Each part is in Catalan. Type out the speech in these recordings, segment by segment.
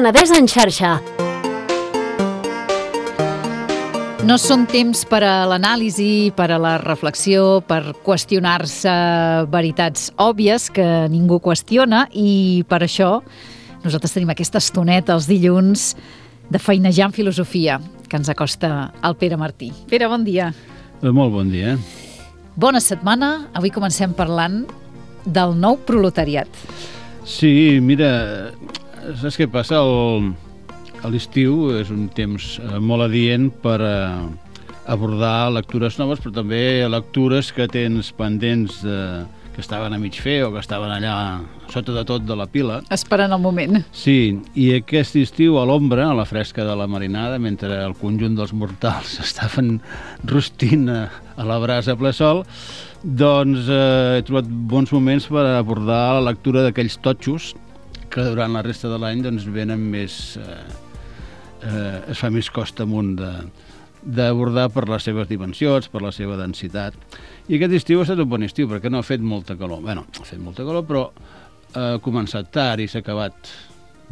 Penedès en xarxa. No són temps per a l'anàlisi, per a la reflexió, per qüestionar-se veritats òbvies que ningú qüestiona, i per això nosaltres tenim aquesta estoneta els dilluns de feinejar en filosofia que ens acosta el Pere Martí. Pere, bon dia. Molt bon dia. Bona setmana. Avui comencem parlant del nou proletariat. Sí, mira, saps què passa? L'estiu és un temps molt adient per abordar lectures noves, però també lectures que tens pendents que estaven a mig fer o que estaven allà sota de tot de la pila. Esperant el moment. Sí, i aquest estiu a l'ombra, a la fresca de la marinada, mentre el conjunt dels mortals estaven rostint a la brasa a ple sol, doncs he trobat bons moments per abordar la lectura d'aquells totxos que durant la resta de l'any doncs venen més... es fa més costa amunt d'abordar per les seves dimensions, per la seva densitat. I aquest estiu ha estat un bon estiu, perquè no ha fet molta calor. Bé, ha fet molta calor, però ha començat tard i s'ha acabat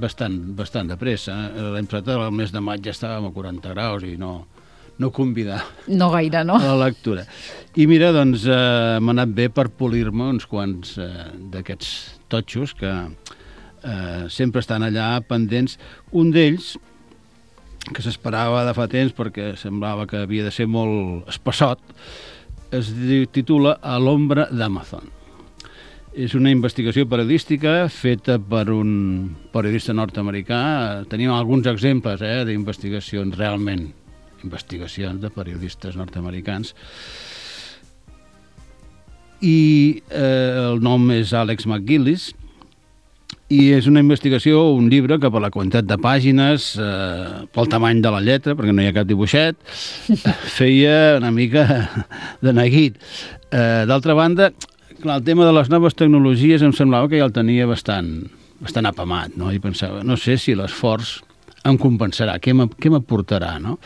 bastant de pressa. L'any passat, al mes de maig, ja estàvem a 40 graus i no convidar no gaire, no? A la lectura. I mira, doncs, m'ha anat bé per polir-me uns quants d'aquests totxos que sempre estan allà pendents. Un d'ells, que s'esperava de fa temps perquè semblava que havia de ser molt espassot, es titula A l'ombra d'Amazon. És una investigació periodística feta per un periodista nord-americà. Tenim alguns exemples d'investigacions, realment, investigacions de periodistes nord-americans. I el nom és Alex McGillis, i és una investigació, un llibre que per la quantitat de pàgines, pel tamany de la lletra, perquè no hi ha cap dibuixet, feia una mica de neguit. D'altra banda, clar, el tema de les noves tecnologies em semblava que ja el tenia bastant apamat, no? I pensava, no sé si l'esforç em compensarà, què m'aportarà, no?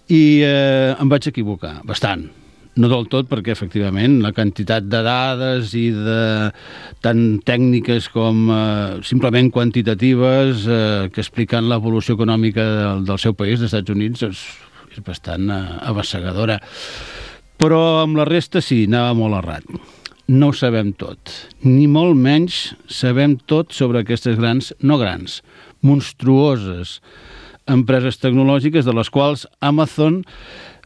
I em vaig equivocar, bastant. No del tot, perquè efectivament la quantitat de dades i de tant tècniques com simplement quantitatives que expliquen l'evolució econòmica del seu país, dels Estats Units, és bastant abassegadora. Però amb la resta sí, anava molt errat. No ho sabem tot, ni molt menys sabem tot sobre aquestes monstruoses empreses tecnològiques, de les quals Amazon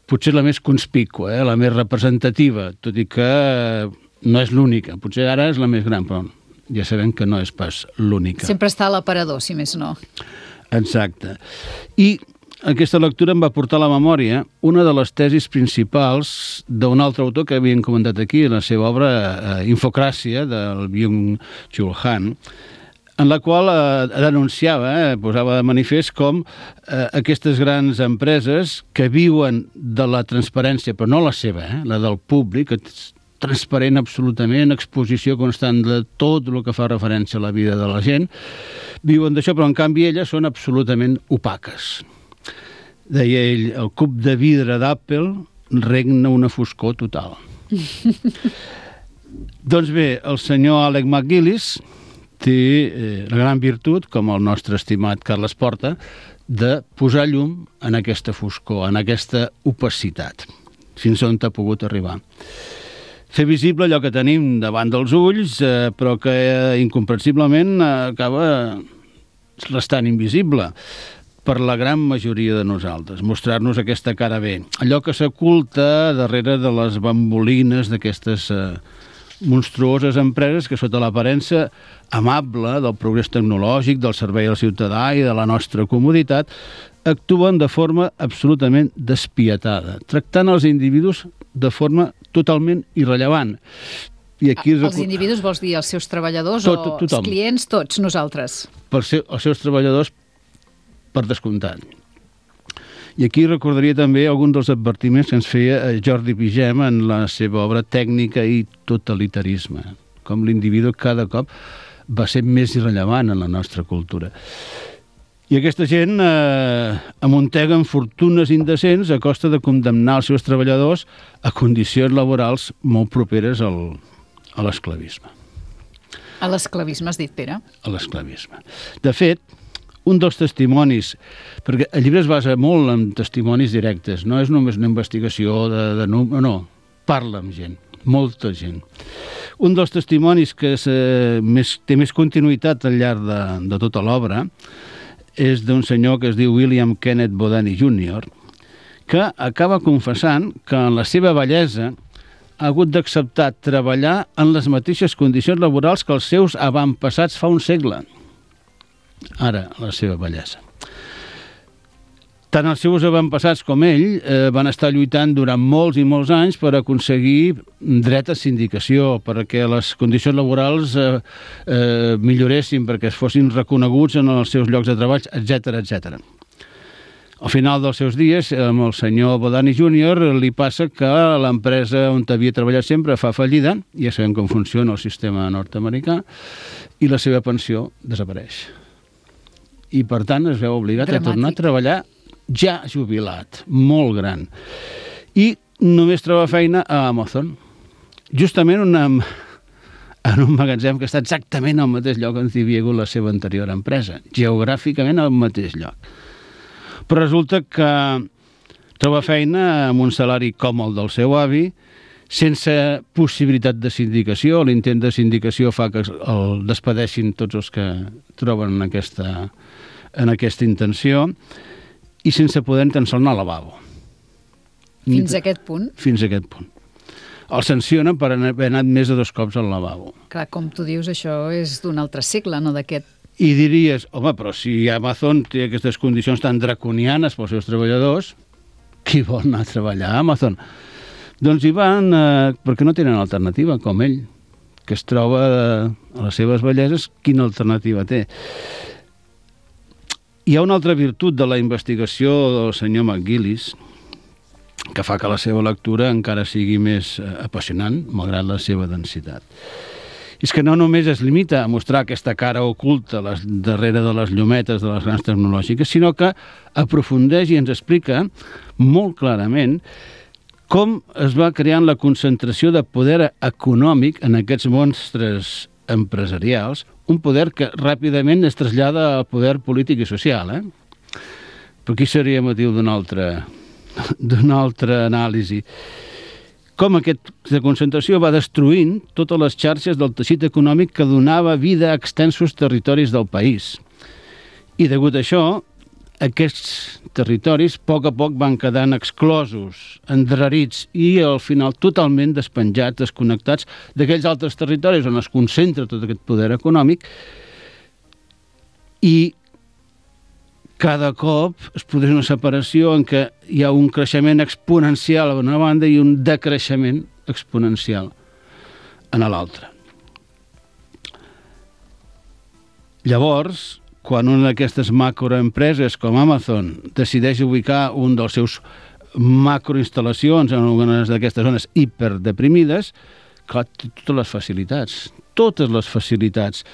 potser la més conspícua, la més representativa, tot i que no és l'única. Potser ara és la més gran, però ja sabem que no és pas l'única. Sempre està a l'aparador, si més no. Exacte. I aquesta lectura em va portar a la memòria una de les tesis principals d'un altre autor que havíem comentat aquí, en la seva obra Infocràcia, del Byung-Chul Han, en la qual denunciava, posava de manifest com aquestes grans empreses que viuen de la transparència, però no la seva, la del públic, transparent absolutament, exposició constant de tot el que fa referència a la vida de la gent, viuen d'això, però en canvi elles són absolutament opaques. Deia ell, el cub de vidre d'Apple regna una foscor total. Doncs bé, el senyor Alex McGillis té la gran virtut, com el nostre estimat Carles Porta, de posar llum en aquesta foscor, en aquesta opacitat, fins on t'ha pogut arribar. Fer visible allò que tenim davant dels ulls, però que incomprensiblement acaba restant invisible per la gran majoria de nosaltres, mostrar-nos aquesta cara bé. Allò que s'oculta darrere de les bambolines d'aquestes monstruoses empreses que sota l'aparença amable del progrés tecnològic, del servei al ciutadà i de la nostra comoditat, actuen de forma absolutament despietada, tractant els individus de forma totalment irrellevant. I aquí els individus vols dir els seus treballadors o els clients, tots nosaltres? Els seus treballadors, per descomptat. I aquí recordaria també alguns dels advertiments que ens feia Jordi Vigem en la seva obra Tècnica i totalitarisme, com l'individu cada cop va ser més irrellevant en la nostra cultura. I aquesta gent amunteguen fortunes indecents a costa de condemnar els seus treballadors a condicions laborals molt properes a l'esclavisme. A l'esclavisme, has dit, Pere? A l'esclavisme. De fet, un dels testimonis, perquè el llibre es basa molt en testimonis directes, no és només una investigació no, parla amb gent, molta gent. Un dels testimonis que té més continuïtat al llarg de tota l'obra és d'un senyor que es diu William Kenneth Bodani Jr., que acaba confessant que en la seva vellesa ha hagut d'acceptar treballar en les mateixes condicions laborals que els seus avantpassats fa un segle. Ara, la seva bellesa. Tant els seus avantpassats com ell van estar lluitant durant molts i molts anys per aconseguir dret a sindicació, perquè les condicions laborals milloressin, perquè es fossin reconeguts en els seus llocs de treball, etc etc. Al final dels seus dies, amb el senyor Bodani Jr. li passa que l'empresa on havia treballat sempre fa fallida, ja sabem com funciona el sistema nord-americà, i la seva pensió desapareix. I, per tant, es veu obligat a tornar a treballar ja jubilat, molt gran. I només troba feina a Amazon, justament en un magatzem que està exactament al mateix lloc on hi havia hagut la seva anterior empresa, geogràficament al mateix lloc. Però resulta que troba feina amb un salari com el del seu avi, sense possibilitat de sindicació. L'intent de sindicació fa que el despedeixin tots els que troben en aquesta intenció, i sense poder tan sols anar al lavabo. Fins a aquest punt? Fins a aquest punt. El sancionen per haver anat més de 2 cops al lavabo. Clar, com tu dius, això és d'un altre segle, no d'aquest. I diries, home, però si Amazon té aquestes condicions tan draconianes pels seus treballadors, qui vol anar a treballar a Amazon? Doncs hi van perquè no tenen alternativa, com ell, que es troba a les seves belleses, quina alternativa té? Hi ha una altra virtut de la investigació del senyor McGillis que fa que la seva lectura encara sigui més apassionant, malgrat la seva densitat. És que no només es limita a mostrar aquesta cara oculta darrere de les llumetes de les grans tecnològiques, sinó que aprofundeix i ens explica molt clarament com es va creant la concentració de poder econòmic en aquests monstres empresarials, un poder que ràpidament es trasllada al poder polític i social. Però aquí seria motiu d'una altra anàlisi. Com aquesta concentració va destruint totes les xarxes del teixit econòmic que donava vida a extensos territoris del país. I degut a això, aquests territoris a poc van quedant exclosos, endarrerits i al final totalment despenjats, desconnectats d'aquells altres territoris on es concentra tot aquest poder econòmic, i cada cop es produeix una separació en què hi ha un creixement exponencial a una banda i un decreixement exponencial a l'altra. Llavors, quan una d'aquestes macroempreses com Amazon decideix ubicar un dels seus macroinstal·lacions en algunes d'aquestes zones hiperdeprimides, clar, té totes les facilitats,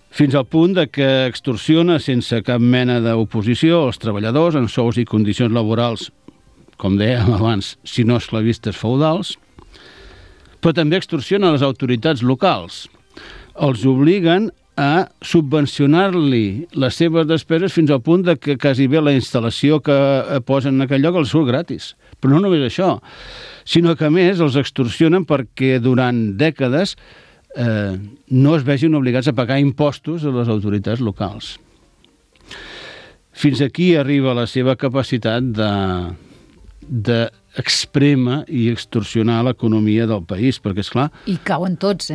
fins al punt de que extorsiona sense cap mena d'oposició els treballadors en sous i condicions laborals, com dèiem abans, si no esclavistes feudals, però també extorsiona les autoritats locals. Els obliguen a subvencionar-li les seves despeses fins al punt de que quasi bé la instal·lació que posen en aquell lloc els surt gratis. Però no només això, sinó que a més els extorsionen perquè durant dècades no es vegin obligats a pagar impostos a les autoritats locals. Fins aquí arriba la seva capacitat d'exprema i extorsionar l'economia del país, perquè, esclar... I cauen tots,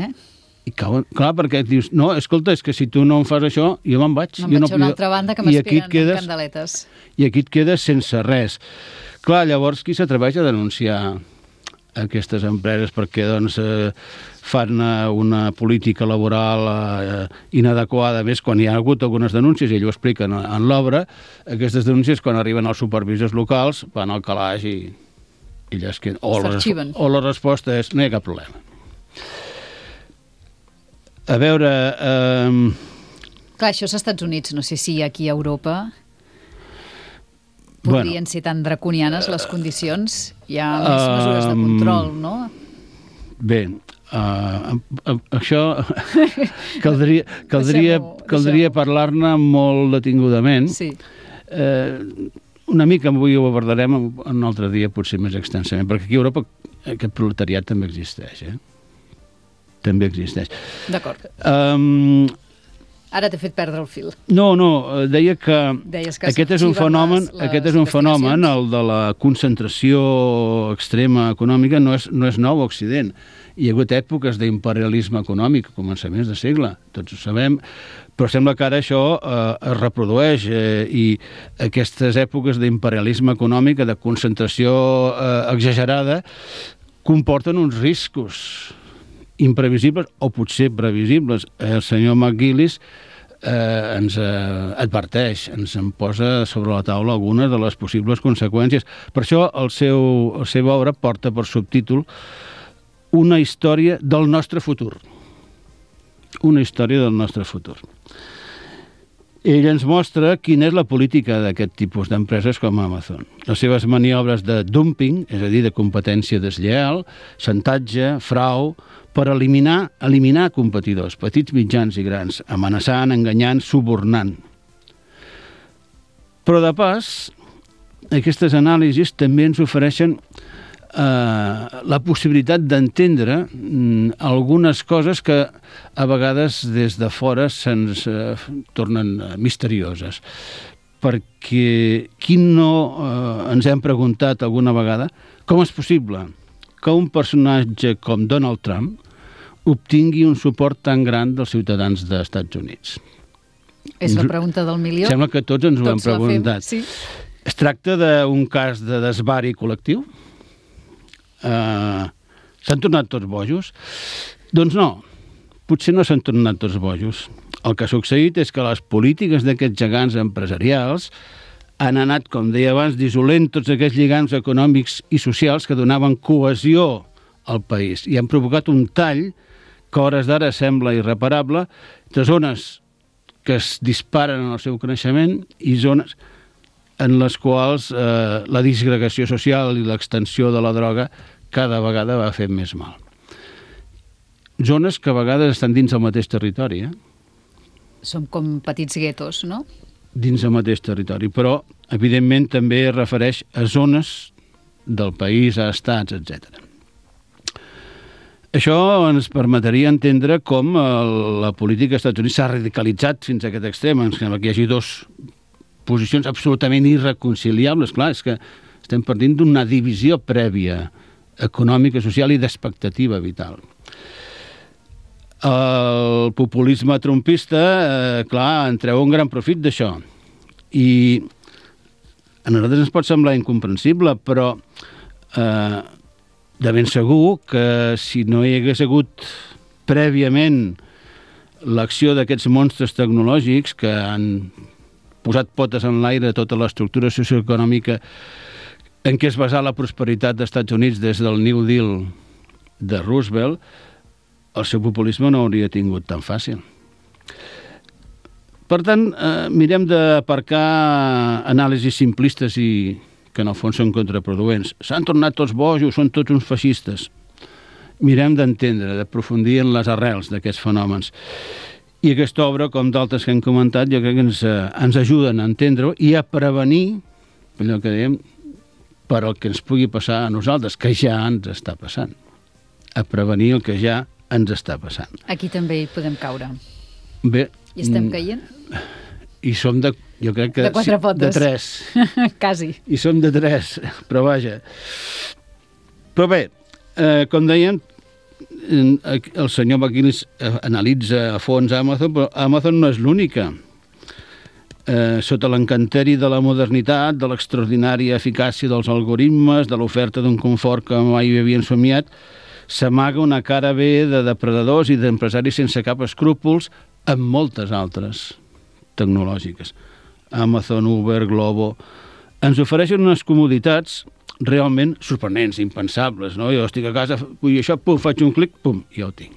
I cauen, clar, perquè dius, no, escolta, és que si tu no em fas això, jo me'n vaig. Me'n vaig a una altra banda que m'esperen amb candeletes. I aquí et quedes sense res. Clar, llavors, qui s'atreveix a denunciar aquestes empreses perquè doncs, fan una política laboral inadequada, més quan hi ha hagut algunes denúncies, i ell ho explica en l'obra, aquestes denúncies quan arriben als supervisors locals van al calaix i llesquen. O la resposta és no hi ha cap problema. A veure... Clar, això és als Estats Units, no sé si aquí a Europa podrien ser tan draconianes les condicions. Hi ha més mesures de control, no? Bé, Això caldria parlar-ne molt detingudament. Sí. Una mica avui ho abordarem un altre dia, potser més extensament, perquè aquí a Europa aquest proletariat també existeix, També existeix. D'acord. Ara t'he fet perdre el fil. No, deia que aquest és un fenomen, el de la concentració extrema econòmica, no és nou a Occident. Hi ha hagut èpoques d'imperialisme econòmic, a començaments de segle, tots ho sabem, però sembla que ara això es reprodueix i aquestes èpoques d'imperialisme econòmic, de concentració exagerada, comporten uns riscos imprevisibles o potser previsibles. El senyor McGillis ens adverteix, ens en posa sobre la taula algunes de les possibles conseqüències. Per això la seva obra porta per subtítol Una història del nostre futur. Una història del nostre futur. Ell ens mostra quina és la política d'aquest tipus d'empreses com Amazon. Les seves maniobres de dumping, és a dir, de competència deslleial, xantatge, frau, per eliminar competidors, petits, mitjans i grans, amenaçant, enganyant, subornant. Però de pas, aquestes anàlisis també ens ofereixen la possibilitat d'entendre algunes coses que a vegades des de fora se'ns tornen misterioses. Perquè qui no ens hem preguntat alguna vegada com és possible que un personatge com Donald Trump obtingui un suport tan gran dels ciutadans dels Estats Units? És la pregunta del milió. Sembla que tots ens ho hem preguntat. Sí. Es tracta d'un cas de desvari col·lectiu? S'han tornat tots bojos? Doncs no, potser no s'han tornat tots bojos. El que ha succeït és que les polítiques d'aquests gegants empresarials han anat, com deia abans, dissolent tots aquests lligams econòmics i socials que donaven cohesió al país i han provocat un tall que a hores d'ara sembla irreparable de zones que es disparen en el seu creixement i zones en les quals la disgregació social i l'extensió de la droga cada vegada va fer més mal. Zones que a vegades estan dins el mateix territori, Som com petits guetos, no? Dins el mateix territori, però evidentment també es refereix a zones del país, a estats, etc. Això ens permetria entendre com la política als Estats Units s'ha radicalitzat fins a aquest extrem. Ens sembla que hi hagi dues posicions absolutament irreconciliables. Clar, és que estem partint d'una divisió prèvia econòmica, social i d'expectativa vital. El populisme trumpista, clar, en treu un gran profit d'això. I a nosaltres ens pot semblar incomprensible, però de ben segur que si no hi hagués hagut prèviament l'acció d'aquests monstres tecnològics que han posat potes en l'aire tota l'estructura socioeconòmica en què es basà la prosperitat dels Estats Units des del New Deal de Roosevelt, el seu populisme no hauria tingut tan fàcil. Per tant, mirem d'aparcar anàlisis simplistes i que en el fons són contraproduents. S'han tornat tots bojos, són tots uns feixistes. Mirem d'entendre, d'aprofundir en les arrels d'aquests fenòmens. I aquesta obra, com d'altres que hem comentat, jo crec que ens ajuden a entendre-ho i a prevenir, allò que dèiem, per el que ens pugui passar a nosaltres, que ja ens està passant. A prevenir el que ja ens està passant. Aquí també hi podem caure. Bé. I estem caient? I som jo crec que... De 4 potes. De 3. Quasi. I som de 3, però vaja. Però bé, com deien, el senyor McGillis analitza a fons Amazon, però Amazon no és l'única. Sota l'encanteri de la modernitat, de l'extraordinària eficàcia dels algoritmes, de l'oferta d'un confort que mai havien somiat, s'amaga una cara B de depredadors i d'empresaris sense cap escrúpols amb moltes altres tecnològiques. Amazon, Uber, Globo ens ofereixen unes comoditats realment sorprenents, impensables, no? Jo estic a casa, vull això, pum, faig un clic, pum, ja ho tinc.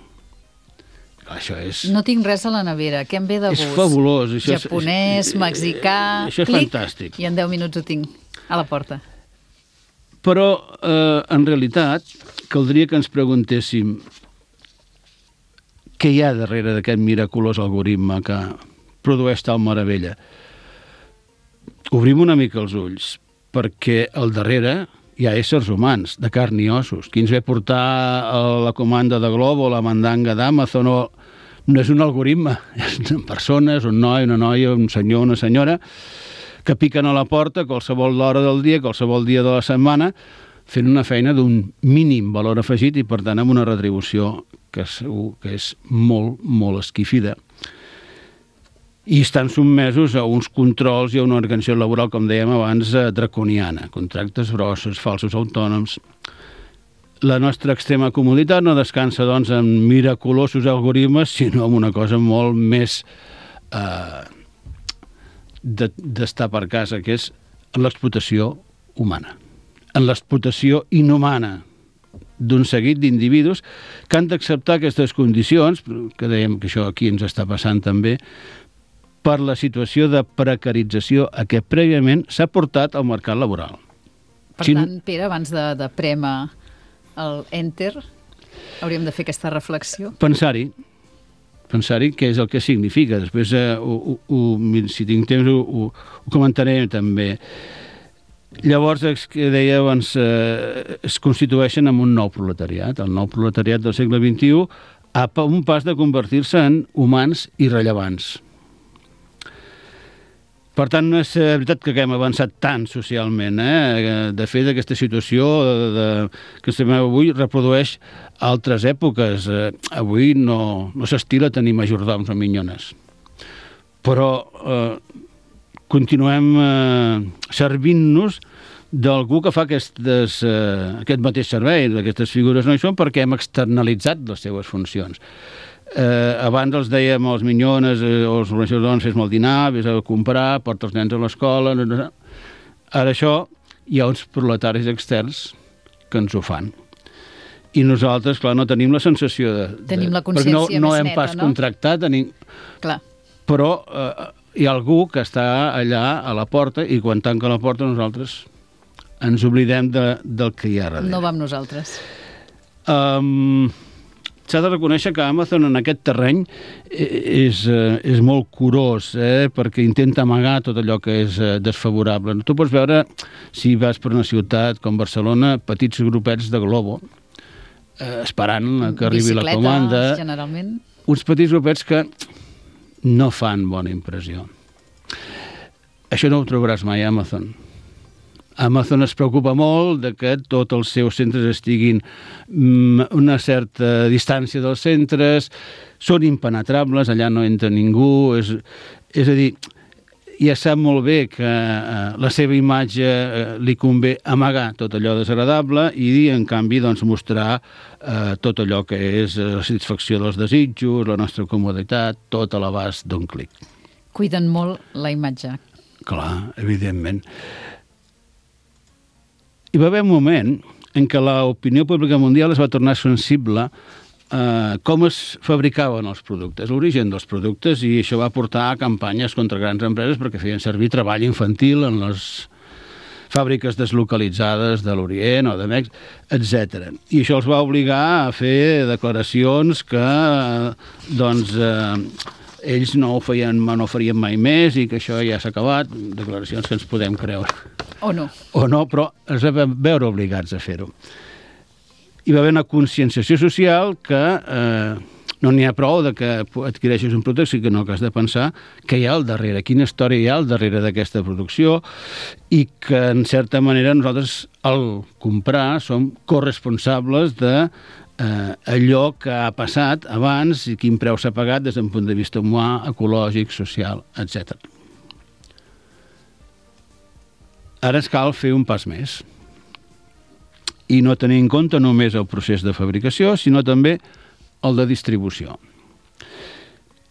Això és... No tinc res a la nevera, què em ve de gust? És fabulós. Això japonès, mexicà... Això és clic, fantàstic. I en 10 minuts ho tinc a la porta. Però, en realitat, caldria que ens preguntéssim què hi ha darrere d'aquest miraculós algoritme que produeix tal meravella? Obrim una mica els ulls, perquè al darrere hi ha éssers humans, de carn i ossos. Qui ens ve portar la comanda de Globo, la mandanga d'Amazon, no és un algoritme, són persones, un noi, una noia, un senyor, una senyora, que piquen a la porta a qualsevol hora del dia, qualsevol dia de la setmana, fent una feina d'un mínim valor afegit i, per tant, amb una retribució que segur que és molt, molt esquifida. I estan sotmesos a uns controls i a una organització laboral, com dèiem abans, draconiana. Contractes grossos, falsos autònoms. La nostra extrema comoditat no descansa, doncs, en miraculosos algoritmes, sinó en una cosa molt més d'estar per casa, que és l'explotació humana, en l'explotació inhumana d'un seguit d'individus que han d'acceptar aquestes condicions, que dèiem que això aquí ens està passant també, per la situació de precarització a què prèviament s'ha portat al mercat laboral. Per tant, Pere, abans de prémer el Enter, hauríem de fer aquesta reflexió? Pensar-hi què és el que significa. Després, si tinc temps, ho comentaré també. Llavors, que deia abans, es constitueixen en un nou proletariat. El nou proletariat del segle XXI a un pas de convertir-se en humans irrellevants. Per tant, no és veritat que haguem avançat tant socialment. De fet, aquesta situació que estem avui reprodueix altres èpoques. Avui no s'estila tenir majordoms o minyones. Però continuem servint-nos d'algú que fa aquest mateix servei. Aquestes figures no hi són perquè hem externalitzat les seves funcions. Abans els dèiem als minyones o als organitzacions de dones, fes-me el dinar, vés a comprar, porta els nens a l'escola. Ara això hi ha uns proletaris externs que ens ho fan. I nosaltres, clar, no tenim la sensació de... Tenim la consciència més neta, no? No hem pas contractat, Clar. Però hi ha algú que està allà a la porta i quan tanca la porta nosaltres ens oblidem del que hi ha darrere. No va amb nosaltres. S'ha de reconèixer que Amazon en aquest terreny és molt curós, perquè intenta amagar tot allò que és desfavorable. Tu pots veure, si vas per una ciutat com Barcelona, petits grupets de Globo, esperant que arribi la comanda. Bicicletes, generalment. Uns petits grupets que no fan bona impressió. Això no ho trobaràs mai a Amazon. Amazon es preocupa molt de que tots els seus centres estiguin a una certa distància dels centres, són impenetrables, allà no entra ningú, és a dir, ja sap molt bé que la seva imatge li convé amagar tot allò desagradable i, en canvi, doncs, mostrar tot allò que és la satisfacció dels desitjos, la nostra comoditat, tot a l'abast d'un clic. Cuiden molt la imatge. Clar, evidentment. Hi va haver un moment en què l'opinió pública mundial es va tornar sensible a com es fabricaven els productes, l'origen dels productes, i això va portar a campanyes contra grans empreses perquè feien servir treball infantil en les fàbriques deslocalitzades de l'Orient o de Mèxic, etc. I això els va obligar a fer declaracions que ells no ho farien mai més i que això ja s'ha acabat, declaracions que ens podem creure. O no. O no, però es vam veure obligats a fer-ho. Hi va haver una conscienciació social que no n'hi ha prou de que adquireixis un producte, sinó que has de pensar què hi ha al darrere, quina història hi ha al darrere d'aquesta producció i que, en certa manera, nosaltres, al comprar, som corresponsables de allò que ha passat abans i quin preu s'ha pagat des d'un punt de vista humà, ecològic, social, etc. Ara es cal fer un pas més i no tenir en compte només el procés de fabricació, sinó també el de distribució.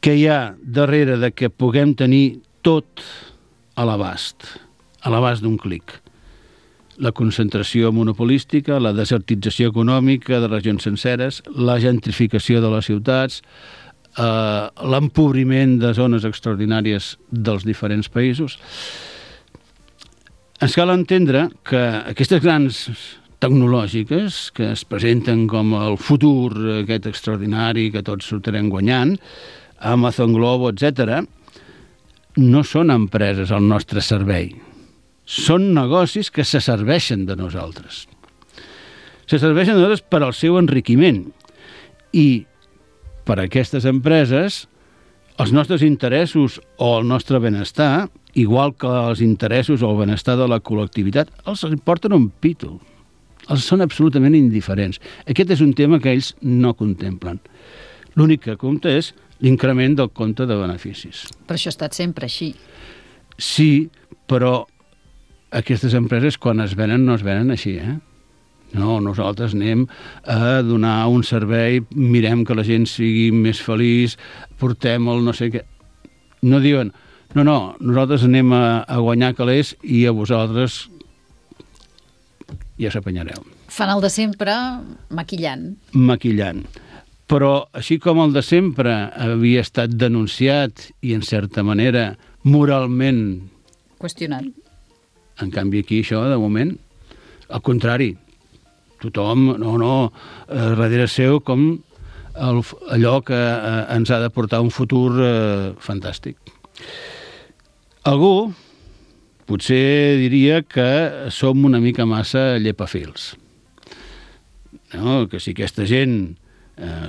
Què hi ha darrere de que puguem tenir tot a l'abast d'un clic? La concentració monopolística, la desertització econòmica de regions senceres, la gentrificació de les ciutats, l'empobriment de zones extraordinàries dels diferents països. Ens cal entendre que aquestes grans tecnològiques que es presenten com el futur aquest extraordinari que tots sortirem guanyant, Amazon, Globo, etc., no són empreses al nostre servei. Són negocis que se serveixen de nosaltres. Se serveixen de nosaltres per al seu enriquiment. I per a aquestes empreses, els nostres interessos o el nostre benestar, igual que els interessos o el benestar de la col·lectivitat, els importen un pito. Els són absolutament indiferents. Aquest és un tema que ells no contemplen. L'únic que compta és l'increment del compte de beneficis. Però això ha estat sempre així. Sí, però aquestes empreses, quan es venen, no es venen així, No, nosaltres anem a donar un servei, mirem que la gent sigui més feliç, portem el no sé què. No diuen, no, nosaltres anem a guanyar calés i a vosaltres ja s'apanyareu. Fan el de sempre maquillant. Maquillant. Però així com el de sempre havia estat denunciat i, en certa manera, moralment Qüestionat. en canvi aquí això, de moment, al contrari, tothom, darrere seu com allò que ens ha de portar un futur fantàstic. Algú potser diria que som una mica massa llepafils. No? Que si aquesta gent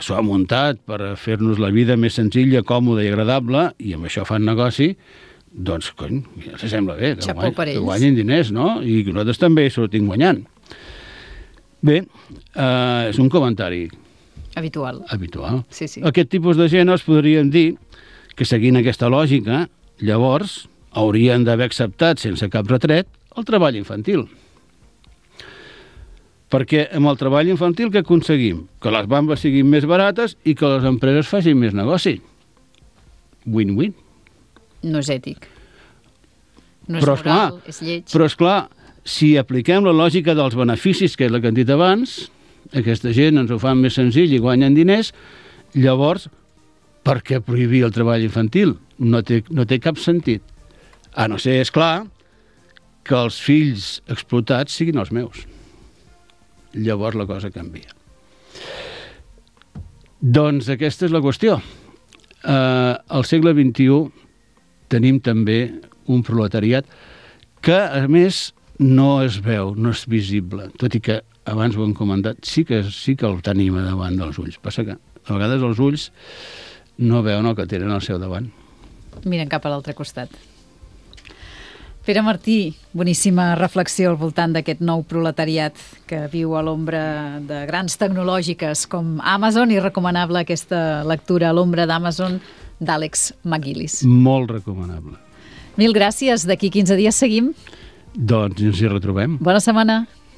s'ho ha muntat per fer-nos la vida més senzilla, còmoda i agradable, i amb això fan negoci, doncs, cony, ja se sembla bé, que guanyin diners, no? I que nosaltres també sortim guanyant. Bé, és un comentari habitual. Sí. Aquest tipus de gent els podríem dir que, seguint aquesta lògica, llavors haurien d'haver acceptat sense cap retret el treball infantil. Perquè amb el treball infantil què aconseguim? Que les bambes siguin més barates i que les empreses facin més negoci. Win-win. No és ètic. No és moral, és lleig. Però, esclar, si apliquem la lògica dels beneficis, que és la que hem dit abans, aquesta gent ens ho fan més senzill i guanyen diners, llavors, per què prohibir el treball infantil? No té cap sentit. A no ser, és clar, que els fills explotats siguin els meus. Llavors la cosa canvia. Doncs aquesta és la qüestió. Al segle XXI tenim també un proletariat que, a més, no es veu, no és visible, tot i que abans ho hem comentat, sí que el tenim davant dels ulls. Passa que a vegades els ulls no veuen el que tenen al seu davant. Miren cap a l'altre costat. Pere Martí, boníssima reflexió al voltant d'aquest nou proletariat que viu a l'ombra de grans tecnològiques com Amazon, i recomanable aquesta lectura a l'ombra d'Amazon d'Àlex McGillis. Molt recomanable. Mil gràcies. D'aquí 15 dies seguim. Doncs ens hi retrobem. Bona setmana.